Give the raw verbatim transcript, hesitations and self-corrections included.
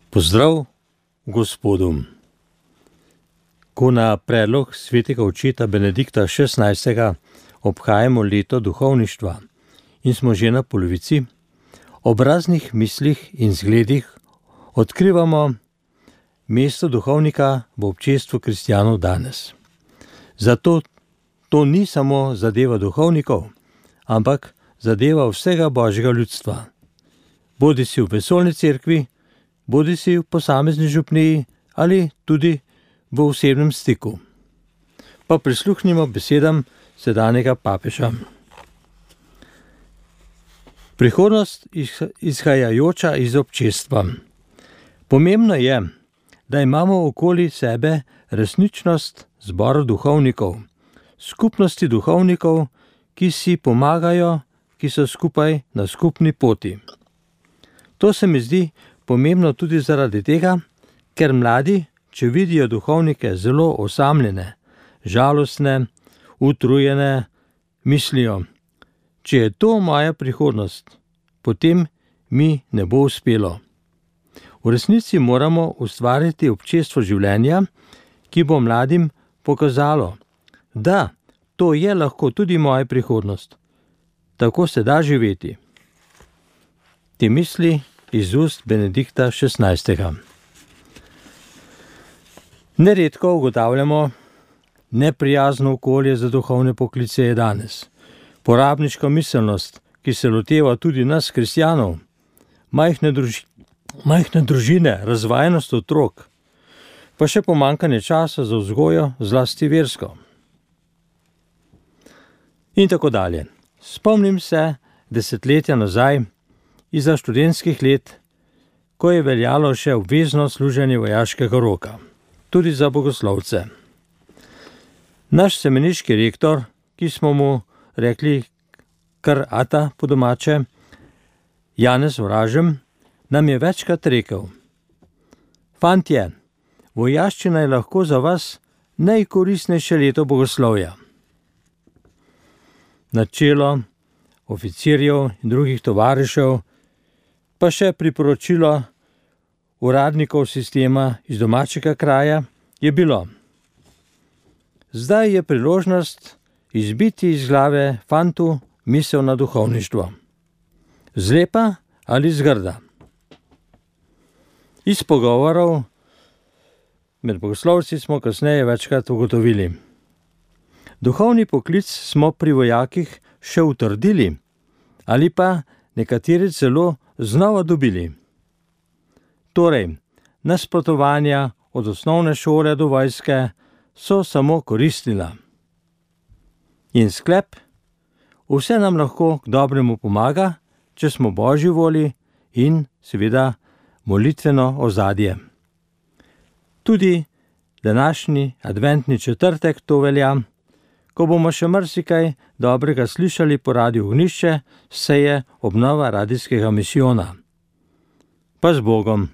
Pozdrav Gospodu. Ko na predlog svetega očeta Benedikta šestnajstega obhajamo leto duhovništva in smo že na polovici, ob raznih mislih in zgledih odkrivamo mesto duhovnika v občestvu kristjanov danes. Zato to ni samo zadeva duhovnikov, ampak zadeva vsega božjega ljudstva. Bodi si v vesoljni cerkvi, bodi si v posamezni župniji ali tudi v osebnem stiku. Pa prisluhnimo besedam sedanjega papeža. Prihodnost izhajajoča iz občestva. Pomembno je, da imamo okoli sebe resničnost zbora duhovnikov, skupnosti duhovnikov, ki si pomagajo, ki so skupaj na skupni poti. To se mi zdi pomembno tudi zaradi tega, ker mladi, če vidijo duhovnike zelo osamljene, žalostne, utrujene, mislijo, če je to moja prihodnost, potem mi ne bo uspelo. V resnici moramo ustvariti občestvo življenja, ki bo mladim pokazalo, da to je lahko tudi moja prihodnost. Tako se da živeti. Te misli iz ust Benedikta šestnajstega. Neredko ugotavljamo, neprijazno okolje za duhovne poklice je danes. Porabniška miselnost, ki se loteva tudi nas kristjanov, majhne, druži, majhne družine, razvajenost otrok, pa še pomanjkanje časa za vzgojo, zlasti versko. In tako dalje. Spomnim se desetletja nazaj, izza študentskih let, ko je veljalo še obvezno služenje vojaškega roka, tudi za bogoslovce. Naš semeniški rektor, ki smo mu rekli kar ata po domače, Janez Vražem, nam je večkrat rekel: Fantje, vojaščina je lahko za vas najkoristnejše leto bogoslovja. Načelo oficirjev in drugih tovarišev, pa še priporočilo uradnikov sistema iz domačega kraja je bilo: zdaj je priložnost izbiti iz glave fantu misel na duhovništvo. Zlepa ali zgrda. Iz pogovorov med bogoslovci smo kasneje večkrat ugotovili: duhovni poklic smo pri vojakih še utrdili ali pa nekateri celo znova dobili. Torej, nasprotovanja od osnovne šole do vojske so samo koristila. In sklep: vse nam lahko k dobremu pomaga, če smo Božji voli in seveda molitveno ozadje. Tudi današnji adventni četrtek to velja, ko bomo še marsikaj dobrega slišali po radiu Ognišče, seje obnova radijskega misijona. Pa z Bogom!